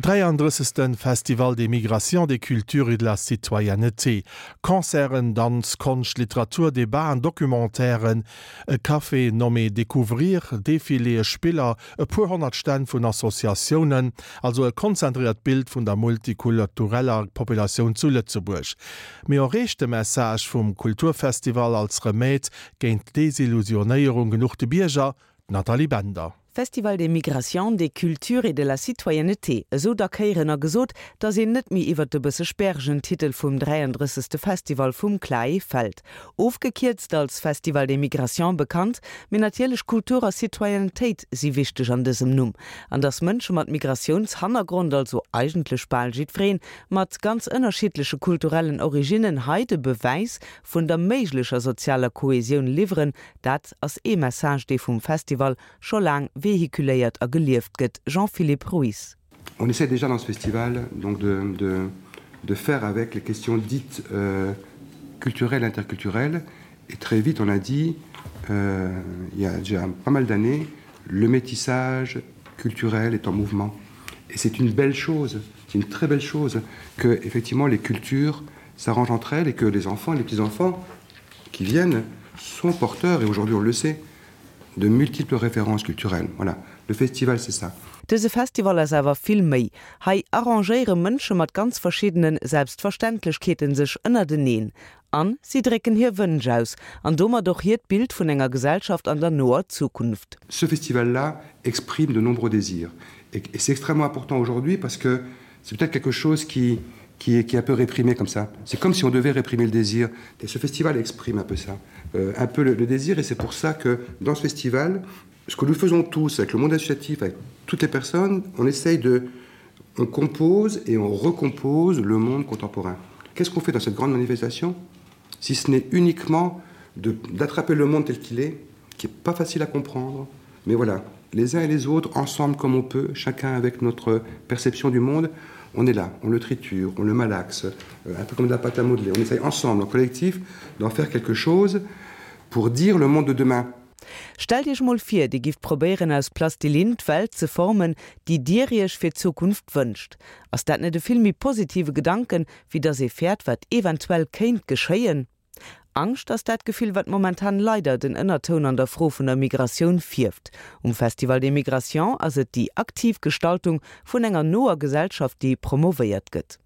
33. Festival des Migrations, des Cultures et de la Citoyenneté. Concerten, Danz, Konscht, Literatur, Debaten, Documentairen, e Café nommé Découvrir, Defiléë, Spiller, e puer 100 Stänn vun Associatiounen, also e konzentréiert Bild vun der multikultureller Populatioun zu Lëtzebuerg. Mee erreecht de Message vum Kulturfestival als Remède géint d'Desillusionéierung genuch de Bierger? D'Nathalie Bender. Festival des migrations, des cultures et de la citoyenneté, esou dack héieren a gesot, dass een net méi iwwert de bësse sperregen Titel vum 33. Festival vum CLAE fält. Ofgekierzt als Festival des migrations bekannt, mee natierlech Kultur a Citoyennetéit si wichteg an dësem Numm. An dass Mënsche mat Migratiounshannergrond, also eigentlech bal jiddwereen, mat ganz ënnerschiddleche kulturellen Originnen hei de Bewäis vun der méiglecher sozialer Kohesioun liwweren, dat ass ee Message, dee vum Festival scho laang vehiculéiert a gelieft gëtt. Jean-Philippe Ruiz. On essaie déjà dans ce festival donc de, de, de faire avec les questions dites euh, culturelles, interculturelles et très vite on a dit euh, il y a déjà pas mal d'années le métissage culturel est en mouvement et c'est une belle chose c'est une très belle chose que effectivement les cultures s'arrangent entre elles et que les enfants les petits enfants qui viennent sont porteurs et aujourd'hui on le sait de multiples références culturelles voilà le festival c'est ça. Dëse Festival ass awer vill méi. Hei arrangéiere Mënsche mat ganz verschiddene Selbstverständlechkeete sech ënnerteneen an si drécken hir Wënsch aus an domat och hiert Bild vun enger Gesellschaft an der noer Zukunft. Ce festival-là exprime de nombreux désirs et c'est extrêmement important aujourd'hui parce que c'est peut-être quelque chose qui qui est, qui est un peu réprimé comme ça. C'est comme si on devait réprimer le désir. Et ce festival exprime un peu ça, euh, un peu le, le désir et c'est pour ça que dans ce festival, ce que nous faisons tous avec le monde associatif, avec toutes les personnes, on essaye de on compose et on recompose le monde contemporain. Qu'est-ce qu'on fait dans cette grande manifestation si ce n'est uniquement d'attraper le monde tel qu'il est, qui est pas facile à comprendre, mais voilà, les uns et les autres ensemble comme on peut, chacun avec notre perception du monde, on est là, on le triture, on le malaxe, euh, un peu comme de la pâte à modeler. On essaye ensemble, en collectif, d'en faire quelque chose pour dire le monde de demain. Stellt Iech mol vir, Dir gifft probéieren aus Plastilinn d'Welt ze formen, déi Dir Iech fir d'Zukunft wënscht. Ass dat net e vill méi positive Gedanken, wéi dass ee fäert wat eventuell kéint geschéien? Angscht ass dat Gefill, wat momentan leider den Ënnertoun an der Fro vun der Migratioun fierft. Um Festival des Migrations ass et déi aktiv Gestaltung vun enger noer Gesellschaft, déi promovéiert gëtt.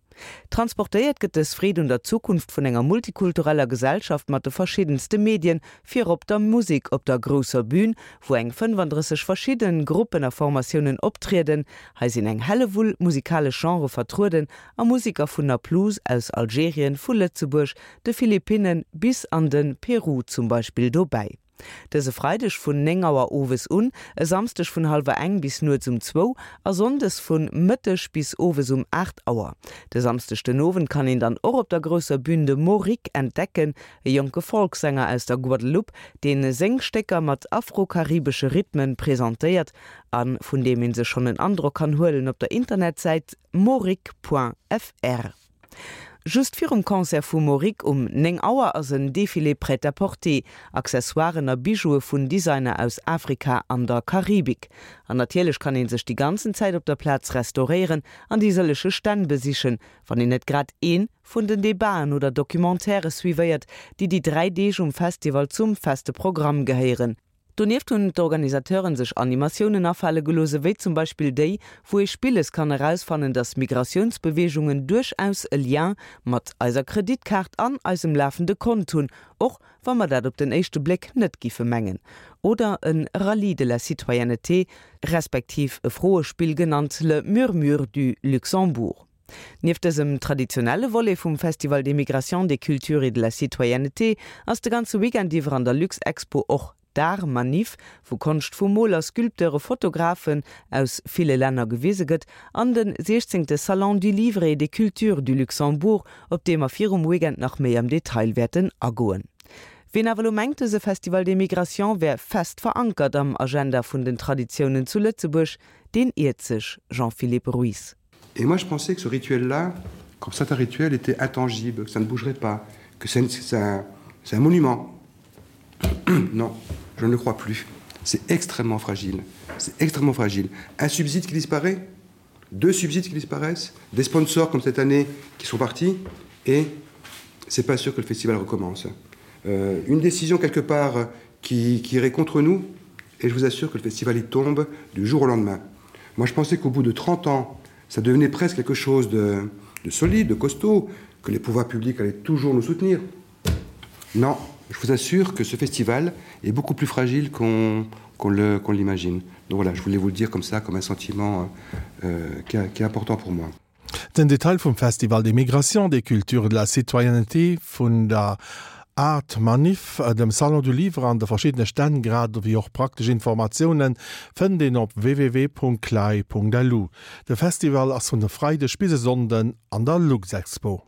Transportéiert gëtt dës Freed un der Zukunft vun enger multikultureller Gesellschaft mat de verschiddenste Medien, virop der Musek op der grousser Bühn, wou eng 35 verschidden Gruppen a Formatiounen optrieden. Hei sinn eng Hellewull musikalesch Genrë vertrueden a Museker vun Naplouse, aus Algerien, vu Lëtzebuerg, de Philippinnen bis an de Peru zum Beispill dobäi. Dëse Freideg vun 9 Auer owes un, e Samsdeg vun hallwer eng bis nuets um zwou a sonndes vun Mëtteg bis owes um 8 Auer. De Samsdeg den Owend kann een dann och op der grousser Bühn de Moric entdecken, e jonke Folksänger aus der Guadeloupe, deen seng Stécker mat afro-karibesche Rhythmen presentéiert a vun deem ee sech schonn en Androck kann huelen op der Internetsäit moric.fr. Just virum Concert vu Moric um 9 Auer ass en Defilé prêt-à-porter, Accessoiren a Bijoue vun Designer aus Afrika an der Karibik. An natierlech kann ee sech déi ganzen Zäit op der Plaz restauréieren an déi sëllege Stänn besichen, wann een net grad ee vun den Debaten oder Documentairë suivéiert, déi déi 3 Deeg um Festival zum feste Programm gehéieren. Donieft hunn d'Organisateuren sech Animatiounen afale gelooss, ewéi zum Beispill déi, wou ee spilles kann erausfannen, dass Migratiounsbeweegungen duerchaus e Lien mat eiser Kreditkaart an eisem lafende Kont hunn, och wa mer dat op den éischte Bléck net giffe mengen. Oder e Rallye de la citoyenneté, respektiv e Froespill genannt Le Murmure du Luxembourg. Nieft dësem traditionelle Volet vum Festival des Migrations, des Cultures et de la Citoyenneté ass de ganze Weekend iwwer an der Luxexpo och d'Art-Manif, wou Konscht vu Moler, Sculpteure, Fotografen aus ville Länner gewise gëtt, an de 16. Salon du Livre et des Cultures du Luxembourg, op dee mer virum Weekend nach méi am Detail wäerten agoen. Wien awer elo mengt, dëse Festival des Migrations wär fest verankert am Agenda vun den Traditiounen zu Lëtzebuerg, deen iert sech, Jean-Philippe Ruiz. Et moi je pensais que ce rituel là, comme certains rituels étaient intangible, que ça ne bougerait pas, que c'est un, un monument. non, je ne le crois plus. C'est extrêmement fragile. C'est extrêmement fragile. Un subside qui disparaît? Deux subsides qui disparaissent, des sponsors comme cette année qui sont partis et c'est pas sûr que le festival recommence. Euh, une décision quelque part qui, qui irait contre nous et je vous assure que le festival y tombe du jour au lendemain. Moi je pensais qu'au bout de 30 ans, ça devenait presque quelque chose de, de solide, de costaud, que les pouvoirs publics allaient toujours nous soutenir. Non, je vous assure que ce festival est beaucoup plus fragile qu'on qu qu l'imagine. Donc voilà, je voulais vous le dire comme ça, comme un sentiment euh, qui, qui est important pour moi. Den Detail vum Festival des Migrations, des Cultures et de la Citoyenneté, vun der Art Manif, dem Salon du Livre an de verschiddene Stänn, grad ewéi och praktesch Informatiounen fënnt een op www.clai.lu. De Festival ass vun e Freideg bis e Sonnden an der Luxexpo.